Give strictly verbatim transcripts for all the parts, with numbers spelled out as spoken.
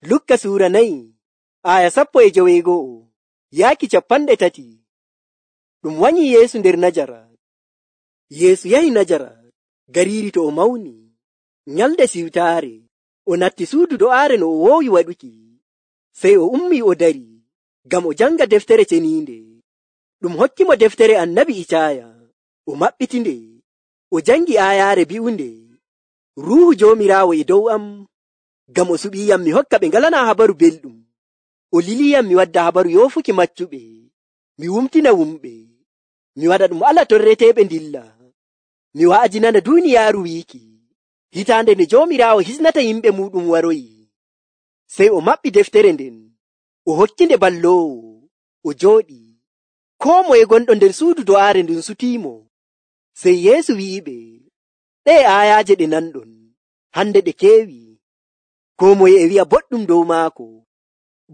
Lukka suura nayi aya sappo e joweego'o yaaki capanɗe tati. Ɗum wanyi Yeesu nder Najarat. Yeesu yahi Najarat, gariiri to o mawni. Nyalde siwtaare o natti suudu do'aare no o woowi waɗuki. Sey o ummii o dari ngam o janga deftere ceniinde. Ɗum hokkimo deftere annabi Icaaya. O maɓɓitinde, o jangi aayaare bi'unde, Ruuhu Joomiraawo e dow am, ngam o suɓiiyam mi hokka ɓe ngalanaa habaru belɗum. O liliyam mi wadda habaru yoofuki maccuɓe, mi wumtina wumɓe, mi waɗa ɗum ala torreteeɓe ndilla, mi wa'ajinana duuniyaaru wiiki, hitaande nde Joomiraawo hisnata yimɓe muuɗum waroyi. Sey o maɓɓi deftere nden, o hokkinde balloowo, o jooɗi. Koo moye gonɗo nder suudu do'aare ndun sutiimo. Sey Yeesu wi'iɓe, ɗee aayaaje ɗe nanɗon, hande ɗe keewi. Koo moye e wi'a boɗɗum dow maako.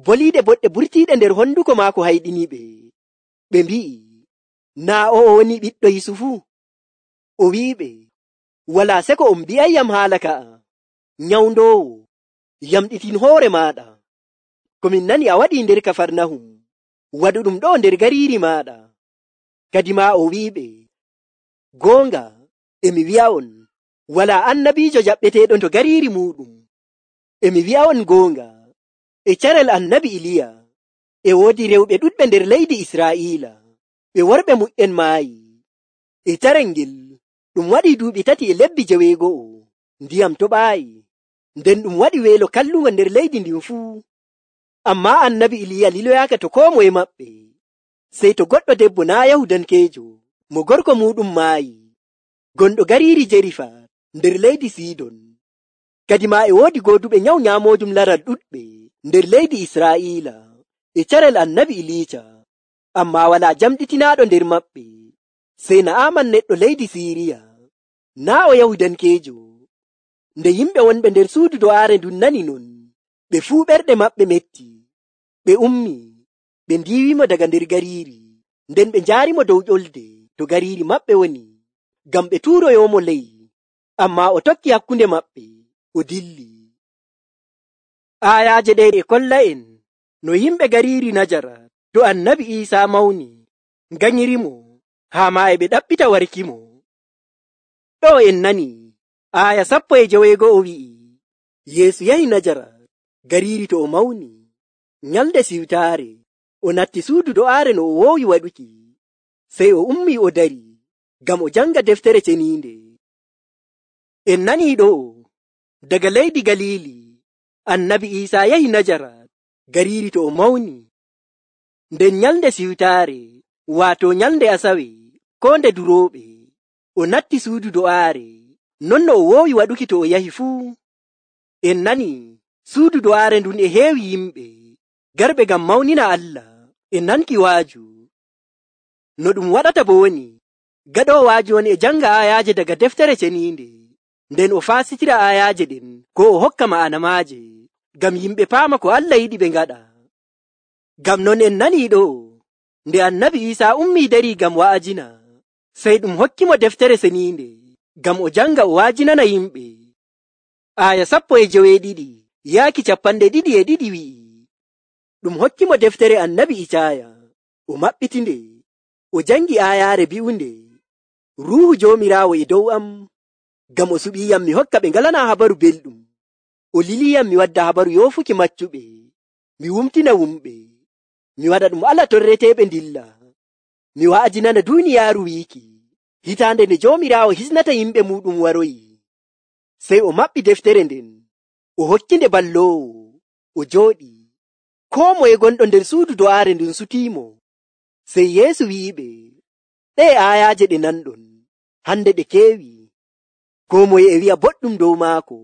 Boliiɗe boɗɗe burtiiɗe nder honduko maako hayɗiniɓe. Ɓe mbi'i, naa o o woni ɓiɗɗo Yusufu? O wi'iɓe, walaa seko on mbi'ayyam haala ka'a. Nyawndoowo, yamɗitin hoore maaɗa. Ko min nani a waɗii nder Kafarnahum, waɗu ɗum ɗo nder gariiri maaɗa. Kadi maa o wi'iɓe, goonga, emi wi'a'on, walaa annabiijo jaɓɓeteeɗo to gariiri muuɗum. Emi wi'a'on goonga, e carel annabi Iliya, e woodi rewɓe ɗuɗɓe nder leydi Israa'iila, ɓe worɓe mu'en maayi. E carel ngel ɗum waɗii duuɓi tati e lebbi joweego'o, ndiyam toɓaayi, nden ɗum waɗi weelo kallungo nder leydi ndin fuu. Ammaa annabi Iliya liloyaaka to koo moye maɓɓe. Sey to goɗɗo debbo naa Yahudankeejo, mo gorko muuɗum maayi, gonɗo gariiri Jerifa nder leydi Sidon. Kadi maa e woodi gooduɓe nyawu nyaamoojum laral ɗuɗɓe nder leydi Israa'iila e carel annabi Iliica, ammaa walaa jamɗitinaaɗo nder maɓɓe. Sey Na'aman neɗɗo leydi Siiriya, naa o Yahudankeejo. Nde yimɓe wonɓe nder suudu do'aare ndun nani non, ɓe fuu ɓerɗe maɓɓe metti. Ɓe ummi, ɓe ndiiwimo daga nder gariiri, nden ɓe njaarimo dow ƴolde to gariiri maɓɓe woni, ngam ɓe tuuroyoomo ley. Ammaa o tokki hakkunde maɓɓe, o dilli. Aayaaje ɗe e kolla'en no yimɓe gariiri Najarat to annabi Iisaa mawni nganyirimo, haa maa e ɓe ɗaɓɓita warkimo. Ɗo en nani aaya sappo e joweego'o wi'i, Yeesu yahi Najarat, gariiri to o mawni. Nyalde siwtaare o natti suudu do'aare no o woowi waɗuki. Sey o ummii o dari ngam o janga deftere ceniinde. En nanii ɗo daga leydi Galiili annabi Iisaa yahi Najarat, gariiri to o mawni. Nden nyalde siwtaare, waato nyalde Asawe, koo nde durooɓe, o natti suudu do'aare, non no o woowi waɗuki to o yahi fuu. En nani suudu do'aare ndun e heewi yimɓe garɓe ngam mawnina Allah e nanki waaju. No ɗum waɗata bo woni, gaɗoo waaju on e janga aayaaje daga deftere ceniinde, nden o faasitira aayaaje ɗen ko o hokka ma'ana maaje, ngam yimɓe paama ko Allah yiɗi ɓe ngaɗa. Ngam non en nanii ɗo, nde annabi Iisaa ummii darii ngam wa'ajina, sey ɗum hokkimo deftere ceniinde ngam o janga o wa'ajinana yimɓe. Aaya sappo e joweeɗiɗi yaaki capanɗe ɗiɗi e ɗiɗi wi'i, ɗum hokkimo deftere annabi Icaaya, o maɓɓitinde, o jangi aayaare bi'unde, Ruuhu Joomiraawo e dow am, ngam o suɓiiyam mi hokka ɓe ngalanaa habaru belɗum, o liliyam mi wadda habaru yoofuki maccuɓe, mi wumtina wumɓe, mi waɗa ɗum ala torreteeɓe ndilla, mi wa'ajinana duuniyaaru wiiki, hitaande nde Joomiraawo hisnata yimɓe muuɗum waroyi. Sey o maɓɓi deftere nden, o hokkinde balloowo, o jooɗi. Koo moye gonɗo nder suudu do'aare ndun sutiimo. Sey Yeesu wi'iɓe, ɗee aayaaje ɗe nanɗon, hande ɗe keewi. Koo moye e wi'a boɗɗum dow maako.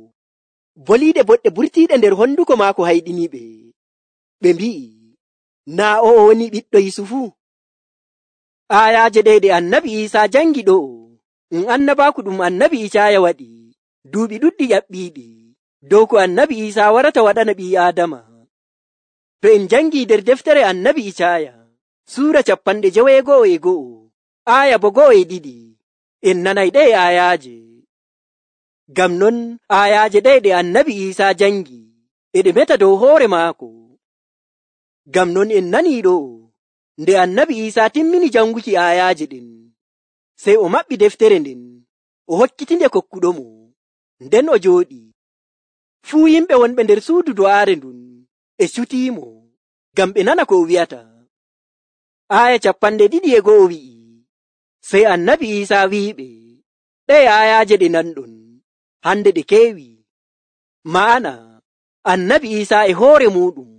Boliiɗe boɗɗe burtiiɗe nder honduko maako hayɗiniɓe. Ɓe mbi'i, naa o o woni ɓiɗɗo Yusufu? Aayaaje ɗe ɗe annabi Iisaa jangi ɗo, ɗum annabaaku ɗum annabi Icaaya waɗi duuɓi ɗuɗɗi ƴaɓɓiiɗi dow ko annabi Iisaa warata waɗana ɓii Aadama. To en jangii nder deftere annabi Icaaya, suura capanɗe joweego'o e go'o, aaya bo go'o e ɗiɗi, en nanay ɗe aayaaje. Ngam non aayaaje ɗe ɗe annabi Iisaa jangi e ɗe meta dow hoore maako. Ngam non en nanii ɗo nde annabi Iisaa timmini janguki aayaaje ɗen, sey o maɓɓi deftere nden, o hokkitinde kokkuɗomo, nden o jooɗi. Fuu yimɓe wonɓe nder suudu do'aare ndun e cutiimo, ngam ɓe nana ko o wi'ata. Aaya capanɗe ɗiɗi e go'o wi'i, sey annabi Iisaa wi'iɓe, ɗe aayaaje ɗe nanɗon, hande ɗe keewi. Ma'ana, annabi Iisaa e hoore muɗum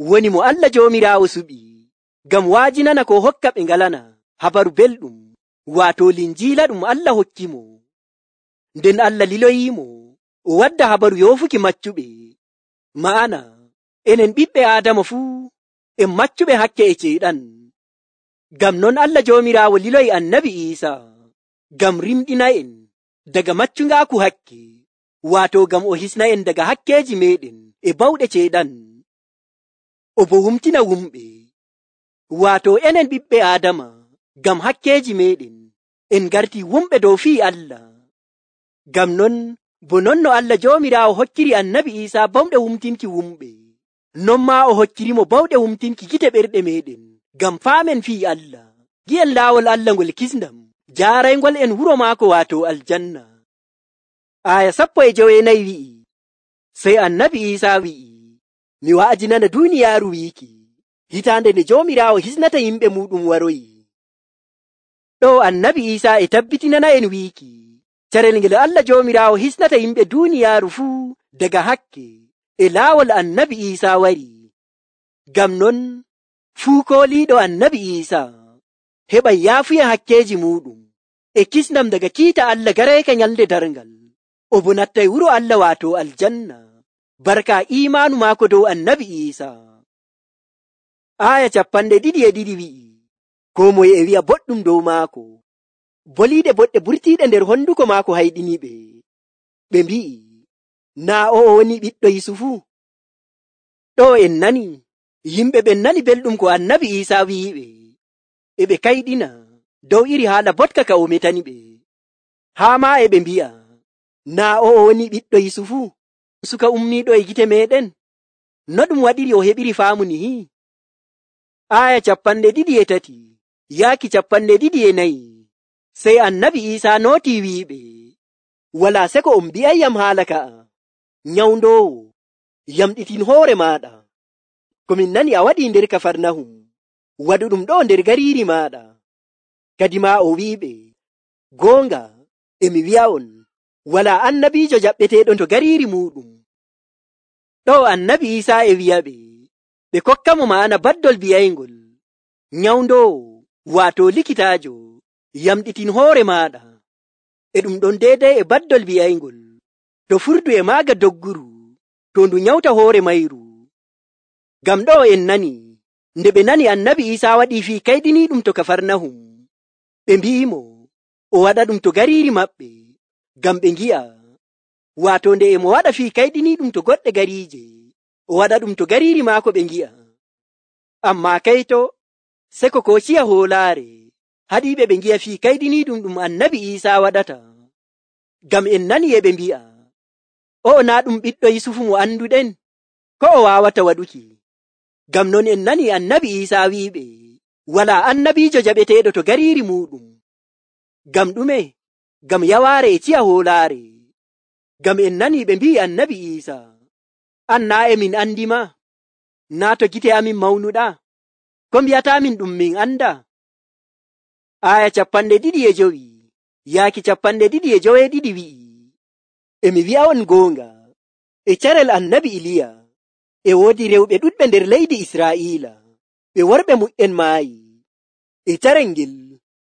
woni mo Allah Joomiraawo suɓi, ngam waajinana ko hokka ɓe ngalana habaru belɗum, waato linjiila ɗum Allah hokkimo. Nden Allah liloyiimo o wadda habaru yoofuki maccuɓe. Ma'ana, enen ɓiɓɓe Aadama fuu en maccuɓe hakke e ceyɗan. Ngam non Allah Joomiraawo liloyi annabi Iisaa ngam rimɗina en daga maccungaaku hakke, waato ngam o hisna en daga hakkeeji meɗen e bawɗe ceyɗan. O bo wumtina wumɓe, waato enen ɓiɓɓe Aadama ngam hakkeeji meɗen en garti wumɓe dow fii Allah. Ngam non bo non no Allah Joomiraawo hokkiri annabi Iisaa bawɗe wumtinki wumɓe, non maa o hokkirimo bawɗe wumtinki gite ɓerɗe meɗen ngam faamen fii Allah, gi'en laawol Allah ngol kisndam jaaraygol en wuro maako waato aljanna. Aaya sappo e joweenayi wi'i, sey annabi Iisaa wi'i, mi wa'ajinana duuniyaaru wiiki, hitaande nde Joomiraawo hisnata yimɓe muɗum waroyi. Ɗo annabi Iisaa e tabbitinana en wiiki, carel ngel Allah Joomiraawo hisnata yimɓe duuniyaaru fuu daga hakke e laawol annabi Iisaa wari. Ngam non fuu kooliiɗo annabi Iisaa heɓa yaafuya hakkeeji muɗum e kisndam daga kiita Allah gareeka nyalde darngal, o bo nattay wuro Allah waato aljanna, barka iimaanu maako dow annabi Iisaa. Aaya capanɗe ɗiɗi e ɗiɗi wi'i, ko moye e wi'a boɗɗum dow maako, boliiɗe boɗɗe burtiiɗe nder honduko maako hayɗiniɓe. Ɓe mbi'i, naa o o woni ɓiɗɗo Yusufu? Ɗo en nani, yimɓe ɓen nani belɗum ko annabi Iisaa wi'iɓe, e ɓe kayɗina dow iri haala botka ka o metani ɓe. Haa maa e ɓe mbi'a, naa o o woni ɓiɗɗo Yusufu, suka ummiiɗo e gite meɗen? No ɗum waɗiri o heɓiri faamu nihi? Aaya capanɗe ɗiɗi e tati yaaki capanɗe ɗiɗi e nayi, sey annabi Iisaa nootii wi'iɓe, walaa seko on mbi'ayyam haala ka'a. Nyawndoowo, yamɗitin hoore maaɗa, ko min nani a waɗii nder Kafarnahum, waɗu ɗum ɗo nder gariiri maaɗa. Kadi maa o wi'iɓe, goonga emi wi'a'on, walaa annabiijo jaɓɓeteeɗo to gariiri muɗum. Ɗo annabi Iisaa e wi'aɓe, ɓe kokka mo ma'ana baddol bi'ayngol, nyawndoowo, waato likitaajo, yamɗitin hoore maaɗa. E ɗum ɗon deedey e baddol bi'ayngol, to furdu e maaga dogguru, to ndu nyawta hoore mayru. Ngam ɗo en nani, nde ɓe nani annabi Iisaa waɗii fii kayɗiniiɗum to Kafarnahum, ɓe mbi'imo o waɗa ɗum to gariiri maɓɓe, ngam ɓe ngi'a, waato nde e mo waɗa fii kayɗiniiɗum to goɗɗe gariije, o waɗa ɗum to gariiri maako ɓe ngi'a. Ammaa kayto, seko ko ciya hoolaare, haɗiiɓe ɓe ngi'a fii kayɗiniiɗum ɗum annabi Iisaa waɗata. Ngam en nani e ɓe mbi'a, o naa ɗum ɓiɗɗo Yusufu mo annduɗen, ko o waawata waɗuki. Ngam non en nani annabi Iisaa wi'iɓe, walaa annabiijo jaɓeteeɗo to gariiri muɗum. Ngam ɗume? Ngam yawaare e ciya hoolaare. Ngam en nani ɓe mbi'i annabi Iisaa, an naa e min andi ma, naa to gite amin mawnuɗa, ko mbi'ataamin ɗum min anda? Aaya capanɗe ɗiɗi e jowi yaaki capanɗe ɗiɗi e jowe ɗiɗi wi'i, emi wi'a'on goonga, e carel annabi Iliya e woodi rewɓe ɗuɗɓe nder leydi Israa'iila, ɓe worɓe mu'en maayi. E carel ngel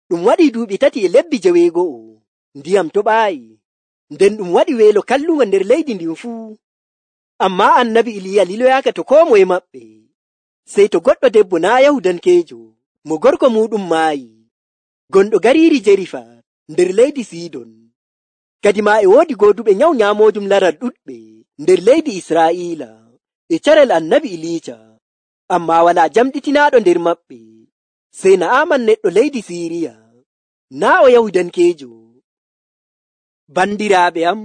ɗum waɗi duuɓi tati e lebbi jeweego'o, ndiyam toɓaayi, nden ɗum waɗi weelo kallugo nder leydi ndin fuu. Ammaa annabi Iliya liloyaaka to koo moye maɓɓe, sey to goɗɗo debbo naa Yahudankeejo, mo gorko muɗum maayi, gonɗo gariiri Jerifa nder leydi Sidon. Kadi maa e woodi gooduɓe nyawu nyaamoojum laral ɗuɗɓe nder leydi Israa'iila e carel annabi Iliica, ammaa walaa jamɗitinaaɗo nder maɓɓe, sey Na'aman neɗɗo leydi Siiriya, naa o Yahudankeejo. Bandiraaɓe am,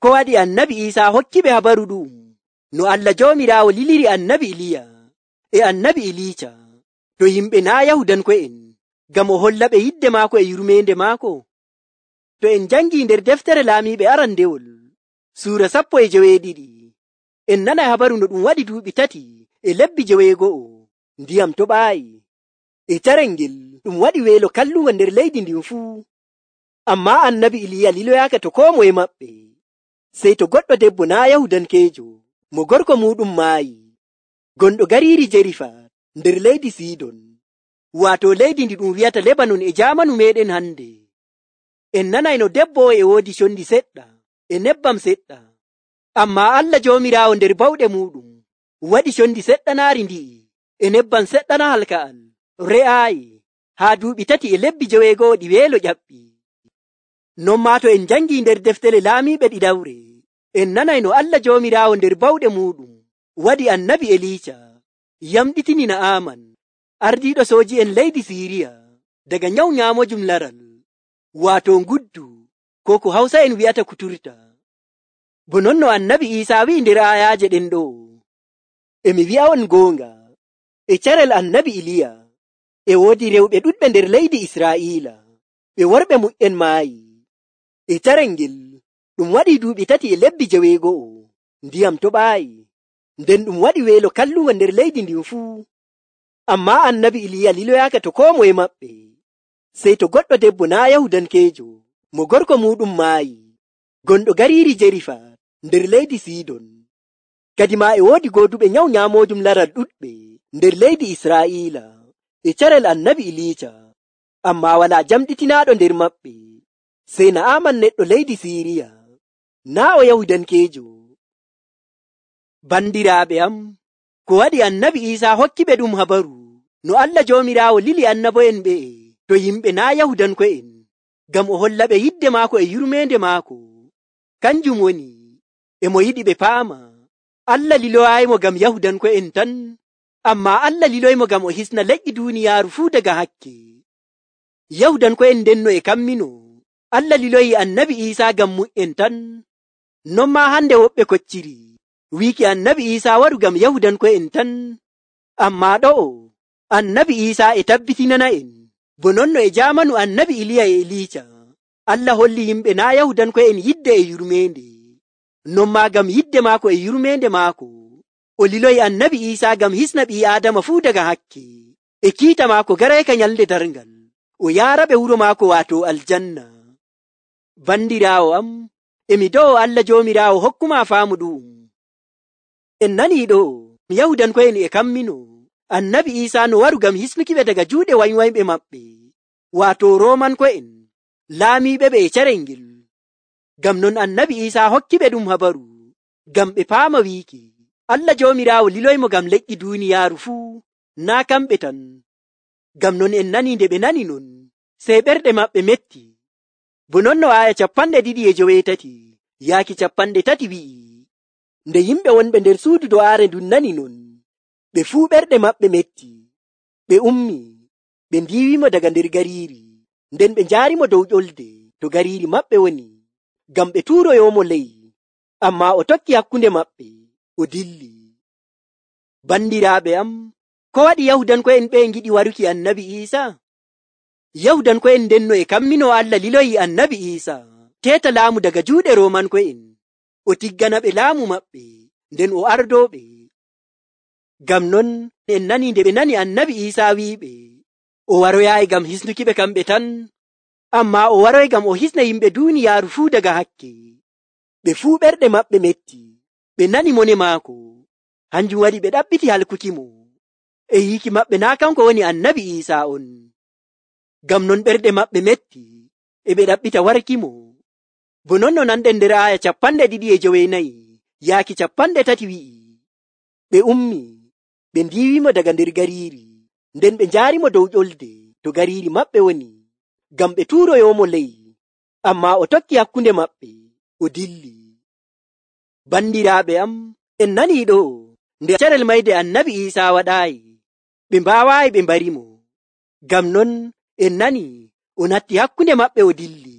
ko waɗi annabi Iisaa hokkiɓe habaru ɗum no Allah Joomiraawo liliri annabi Iliya e annabi Iliica to yimɓe naa Yahudanko'en ngam o holla ɓe yidde maako e yurmeende maako. To en jangii nder deftere laamiiɓe arandewol suura sappo e joweeɗiɗi en nanay habaru no ɗum waɗi duuɓi tati e lebbi joweego'o ndiyam toɓaayi. E carel ngel ɗum waɗi weelo kallungo nder leydi ndin fuu. Ammaa annabi Iliya liloyaaka to koo moye maɓɓe, sey to goɗɗo debbo naa Yahudankeejo mo gorko muuɗum maayi, gonɗo gariiri Jerifat nder leydi Sidon, waato leydi ndi ɗum wi'ata Lebanon e jaamanu meeɗen hande. En nanay no debbo e woodi condi seɗɗa e nebbam seɗɗa, ammaa Allah Joomiraawo nder bawɗe muuɗum waɗi condi seɗɗanaari ndi'i e nebbam seɗɗana halka'al re'aayi haa duuɓi tati e lebbi joweego'o ɗi weelo ƴaɓɓi. Non maa to en jangii nder deftere laamiiɓe ɗiɗawre en nanay no Allah Joomiraawo nder bawɗe muuɗum waɗi annabi Eliica yamɗitini Na'aaman ardiiɗo sooji'en leydi Siiriya daga nyawu nyaamojum laral, waato nguddu koo ko Hawsa'en wi'ata kuturta. Bo non no annabi Iisaa wi'i nder aayaaje ɗen ɗo, e mi wi'a'on goonga, e carel annabi Iliya e woodi rewɓe ɗuɗɓe nder leydi Israa'iila ɓe worɓe mu'en maayi. E carel ngel ɗum waɗi duuɓi tati e lebbi joweego'o ndiyam toɓaayi, nden ɗum waɗi weelo kallungo nder leydi ndin fuu. Ammaa annabi Iliya liloyaaka to koo moye maɓɓe, sey to goɗɗo debbo naa Yahudankeejo mo gorko muuɗum maayi, gonɗo gariiri Jerifat nder leydi Sidon. Kadi maa e woodi gooduɓe nyawu nyaamojum laral ɗuɗɓe nder leydi Israa'iila e carel annabi Iliica, ammaa walaa jamɗitinaaɗo nder maɓɓe, sey Na'aaman neɗɗo leydi Siiriya, naa o Yahudankeejo. Bandiraaɓe am, ko waɗi annabi Iisaa hokki ɓe ɗum habaru no Allah Joomiraawo lili annabo'en ɓe'e to yimɓe naa Yahudanko'en ngam o holla ɓe yidde maako e yurmeende maako. Kanjum woni, e mo yiɗi ɓe paama Allah liloyaayimo ngam Yahudanko'en tan, ammaa Allah liloyimo ngam o hisna leƴƴi duuniyaaru fuu daga hakke. Yahudanko'en ndenno e kammino Allah liloyi annabi Iisaa ngam mu'en tan. Non maa hande woɓɓe kocciri wiiki annabi Iisaa waɗu ngam Yahudanko'en tan, ammaa ɗo'o annabi Iisaa e tabbitinana en bo nonno e jaamanu annabi Iliya e Eliica Allah holli yimɓe naa Yahudanko'en yidde e yurmeende. Non maa ngam yidde maako e yurmeende maako o liloyi annabi Iisaa ngam hisna ɓii Aadama fuu daga hakke e kiita maako garayka nyalnde darngal o yaaraɓe wuro maako waato aljanna. Bandiraawo am, emi do'o Allah Joomiraawo hokkuma faamu ɗum. En nanii ɗo Yahudanko'en e kammino annabi Iisaa no waru ngam hisnukiɓe daga juuɗe wanywanyɓe maɓɓe, waato Roomanko'en laamiiɓe ɓe e carel ngel. Ngam non annabi Iisaa hokkiɓe ɗum habaru ngam ɓe paama wiiki Allah Joomiraawo liloymo ngam leƴƴi duuniyaaru fuu, naa kamɓe tan. Ngam non en nanii nde ɓe nani non, sey ɓerɗe maɓɓe metti. Bo non no aaya capanɗe ɗiɗi e joweetati yaaki capanɗe tati wi'i, nde yimɓe wonɓe nder suudu do'aare ndun nani non, ɓe fuu ɓerɗe maɓɓe metti. Ɓe ummi, ɓe ndiiwimo daga nder gariiri, nden ɓe njaarimo dow ƴolde to gariiri maɓɓe woni, ngam ɓe tuuroyoomo ley, ammaa o tokki hakkunde maɓɓe, o dilli. Bandiraaɓe am, ko waɗi Yahudanko'en ɓe ngiɗi waruki annabi Iisaa? Yahudanko'en ndenno e kammino Allah liloyi annabi Iisaa teeta laamu daga juuɗe Roomanko'en, o tiggana ɓe laamu maɓɓe, nden o ardooɓe. Ngam non en nanii nde ɓe nani annabi Iisaa wi'iɓe o waroyaayi ngam hisnukiɓe kamɓe tan, ammaa o waroy ngam o hisna yimɓe duuniyaaru fuu daga hakke. Ɓe fuu ɓerɗe maɓɓe metti, ɓe nani mone maako, hanjum waɗi ɓe ɗaɓɓiti halkukimo, e yiiki maɓɓe naa kanko woni annabi Iisaa on. Ngam non ɓerɗe maɓɓe metti, e ɓe ɗaɓɓita warkimo. Bo non no nanɗen nder aaya capanɗe ɗiɗi e joweenayi yaaki capanɗe tati wi'i, ɓe ummi, ɓe ndiiwimo daga nder gariiri, nden ɓe njaarimo dow ƴolde to gariiri maɓɓe woni, ngam ɓe tuuroyoomo ley, ammaa o tokki hakkunde maɓɓe, o dilli. Bandiraaɓe am, en nanii ɗo nde carel mayde annabi Iisaa waɗaayi, ɓe mbaawaayi ɓe mbarimo. Ngam non en nanii o natti hakkunde maɓɓe o dilli.